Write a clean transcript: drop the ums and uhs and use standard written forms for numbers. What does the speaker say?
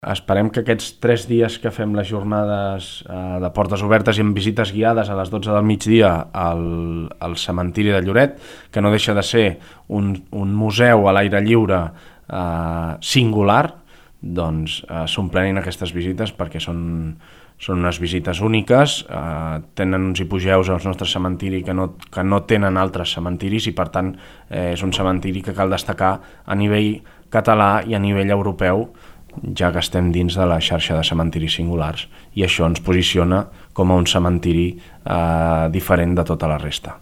Esperem que aquests 3 dies que fem les jornades de portes obertes i amb visites guiades a les 12 del migdia al cementiri de Lloret, que no deixa de ser un museu a l'aire lliure singular, doncs s'omplenin aquestes visites perquè són unes visites úniques, tenen uns hipogeus al nostre cementiri que no tenen altres cementiris i per tant és un cementiri que cal destacar a nivell català i a nivell europeu, ja que estem dins de la xarxa de cementiris singulars, i això ens posiciona com a un cementiri diferent de tota la resta.